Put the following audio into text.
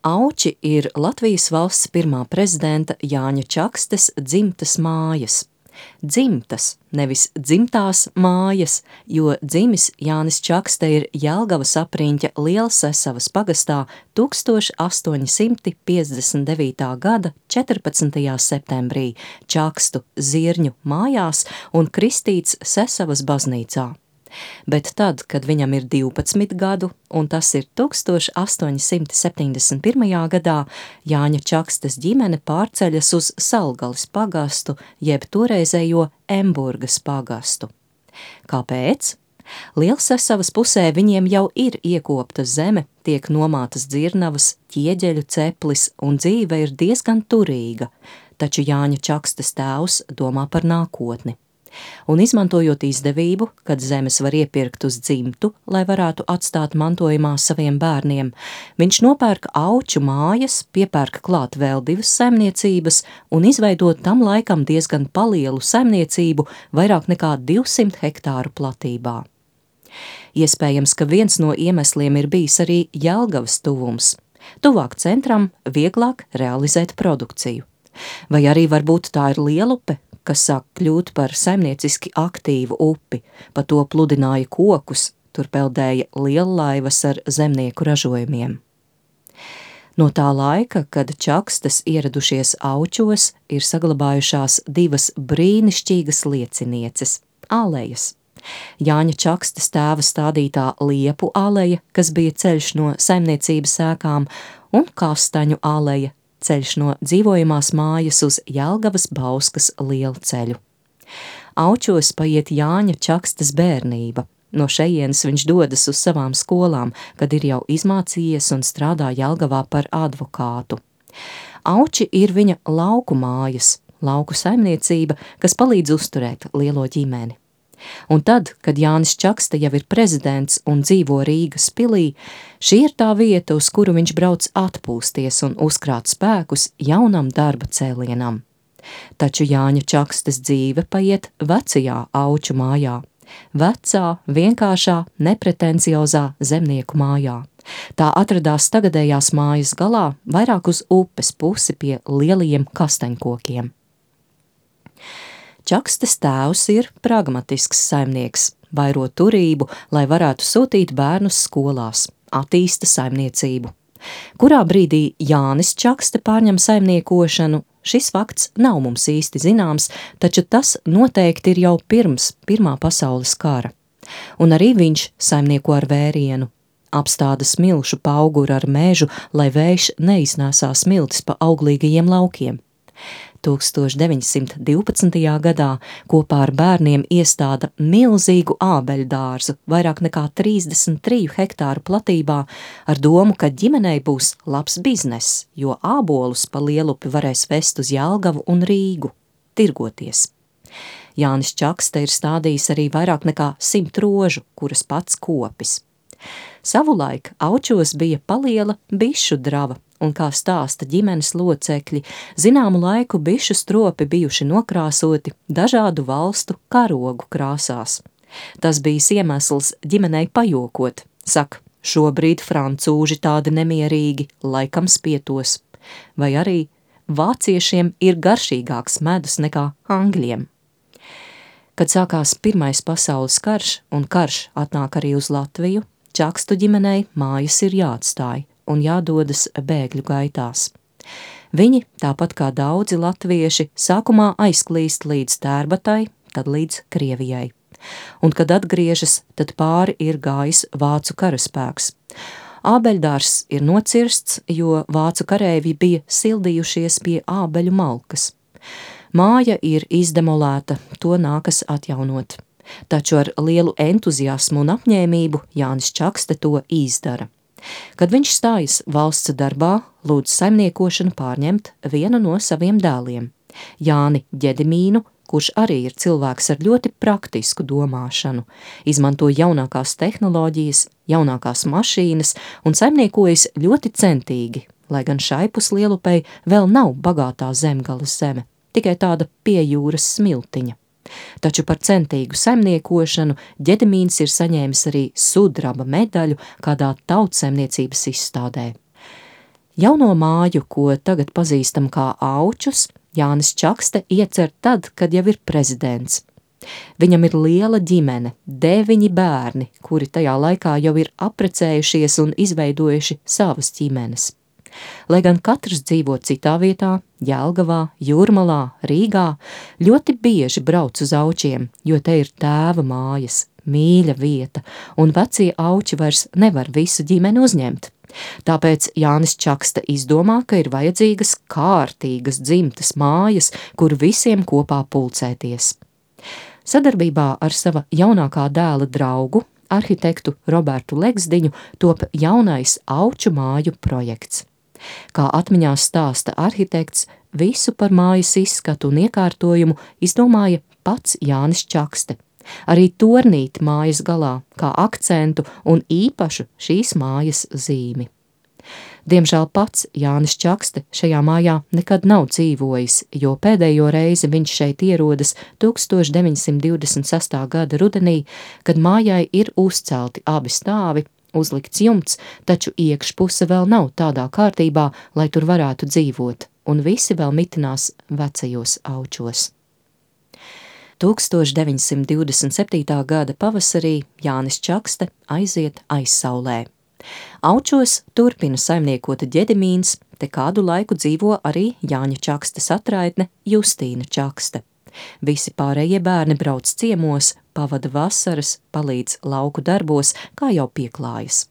Auči ir Latvijas valsts pirmā prezidenta Jāņa Čakstes dzimtas mājas. Dzimtas, nevis dzimtās mājas, jo dzimis Jānis Čakste ir Jelgavas apriņķa Lielsesavas pagastā 1859. gada 14. septembrī Čakstu Zirņu mājās un kristīts Sesavas baznīcā. Bet tad, kad viņam ir 12 gadu, un tas ir 1871. gadā, Jāņa Čakstes ģimene pārceļas uz Salgalis pagastu, jeb toreizējo Emburgas pagastu. Kāpēc? Lielsesavas pusē viņiem jau ir iekopta zeme, tiek nomātas dzirnavas, ķieģeļu ceplis un dzīve ir diezgan turīga, taču Jāņa Čakstes tēvs domā par nākotni. Un izmantojot izdevību, kad zemes var iepirkt uz dzimtu, lai varētu atstāt mantojumā saviem bērniem, viņš nopērk Auču mājas, piepērk klāt vēl 2 saimniecības un izveidot tam laikam diezgan palielu saimniecību vairāk nekā 200 hektāru platībā. Iespējams, ka viens no iemesliem ir bijis arī Jelgavas tuvums. Tuvāk centram vieglāk realizēt produkciju. Vai arī varbūt tā ir Lielupe, kas sāk kļūt par saimnieciski aktīvu upi, pa to pludināja kokus, tur peldēja liellaivas ar zemnieku ražojumiem. No tā laika, kad Čakstes ieradušies Aučos, ir saglabājušās 2 brīnišķīgas liecinieces – alejas. Jāņa Čakstes tēva stādītā Liepu aleja, kas bija ceļš no saimniecības ēkām, un Kastaņu aleja, ceļš no dzīvojamās mājas uz Jelgavas Bauskas lielceļu. Aučos paiet Jāņa Čakstes bērnība. No šejienes viņš dodas uz savām skolām, kad ir jau izmācījies un strādā Jelgavā par advokātu. Auči ir viņa lauku mājas, lauku saimniecība, kas palīdz uzturēt lielo ģimeni. Un tad, kad Jānis Čakste jau ir prezidents un dzīvo Rīgas pilī, šī ir tā vieta, uz kuru viņš brauc atpūsties un uzkrāt spēkus jaunam darba cēlienam. Taču Jāņa Čakstes dzīve paiet vecajā Auču mājā, vecā, vienkāršā, nepretenciozā zemnieku mājā. Tā atradās tagadējās mājas galā, vairāk uz upes pusi pie lielajiem kastaņkokiem. Čakstes tēvs ir pragmatisks saimnieks, vairo turību, lai varētu sūtīt bērnus skolās, attīsta saimniecību. Kurā brīdī Jānis Čakste pārņem saimniekošanu, šis fakts nav mums īsti zināms, taču tas noteikti ir jau pirms Pirmā pasaules kara. Un arī viņš saimnieko ar vērienu, apstāda smilšu pauguru ar mežu, lai vējš neiznēsā smiltis pa auglīgajiem laukiem. 1912. gadā kopā ar bērniem iestāda milzīgu ābeļu dārzu, vairāk nekā 33 hektāru platībā, ar domu, ka ģimenei būs labs bizness, jo ābolus pa Lielupi varēs vest uz Jelgavu un Rīgu, tirgoties. Jānis Čakste ir stādījis arī vairāk nekā 100 rožu, kuras pats kopis. Savulaik Aučos bija paliela bišu drava, un kā stāsta ģimenes locekļi, zināmu laiku bišu stropi bijuši nokrāsoti dažādu valstu karogu krāsās. Tas bijis iemesls ģimenei pajokot, saka, šobrīd francūži tādi nemierīgi, laikam spietos, vai arī vāciešiem ir garšīgāks medus nekā angļiem. Kad sākās Pirmais pasaules karš, un karš atnāk arī uz Latviju, Čakstu ģimenei mājas ir jāatstāj un jādodas bēgļu gaitās. Viņi, tāpat kā daudzi latvieši, sākumā aizklīst līdz Tērbatai, tad līdz Krievijai. Un, kad atgriežas, tad pāri ir gājis vācu karaspēks. Ābeļdārs ir nocirsts, jo vācu kareivji bija sildījušies pie ābeļu malkas. Māja ir izdemolēta, to nākas atjaunot. Taču ar lielu entuziasmu un apņēmību Jānis Čakste to izdara. Kad viņš stājas valsts darbā, lūdz saimniekošanu pārņemt vienu no saviem dēliem, Jāni Ģedimīnu, kurš arī ir cilvēks ar ļoti praktisku domāšanu, izmanto jaunākās tehnoloģijas, jaunākās mašīnas un saimniekojas ļoti centīgi, lai gan Šaipus Lielupei vēl nav bagātā zemgales zeme, tikai tāda pie jūras smiltiņa. Taču par centīgu saimniekošanu Ģedimīns ir saņēmis arī sudraba medaļu kādā tautsaimniecības izstādē. Jauno māju, ko tagad pazīstam kā Aučus, Jānis Čakste iecer tad, kad jau ir prezidents. Viņam ir liela ģimene, 9 bērni, kuri tajā laikā jau ir apprecējušies un izveidojuši savas ģimenes. Lai gan katrs dzīvo citā vietā, Jelgavā, Jūrmalā, Rīgā, ļoti bieži brauc uz Aučiem, jo te ir tēva mājas, mīļa vieta, un vecie Auči vairs nevar visu ģimeni uzņemt. Tāpēc Jānis Čakste izdomā, ka ir vajadzīgas kārtīgas dzimtas mājas, kur visiem kopā pulcēties. Sadarbībā ar sava jaunākā dēla draugu, arhitektu Robertu Legsdiņu, top jaunais Auču māju projekts. Kā atmiņās stāsta arhitekts, visu par mājas izskatu un iekārtojumu izdomāja pats Jānis Čakste. Arī tornīti mājas galā, kā akcentu un īpašu šīs mājas zīmi. Diemžēl pats Jānis Čakste šajā mājā nekad nav dzīvojis, jo pēdējo reizi viņš šeit ierodas 1926. gada rudenī, kad mājai ir uzcelti abi stāvi, uzlikts jumts, taču iekšpuse vēl nav tādā kārtībā, lai tur varētu dzīvot, un visi vēl mitinās vecajos Aučos. 1927. gada pavasarī Jānis Čakste aiziet aizsaulē. Aučos turpina saimniekot Ģedimīns, te kādu laiku dzīvo arī Jāņa Čakstes atraitne Justīna Čakste. Visi pārējie bērni brauc ciemos, pavada vasaras, palīdz lauku darbos, kā jau pieklājas.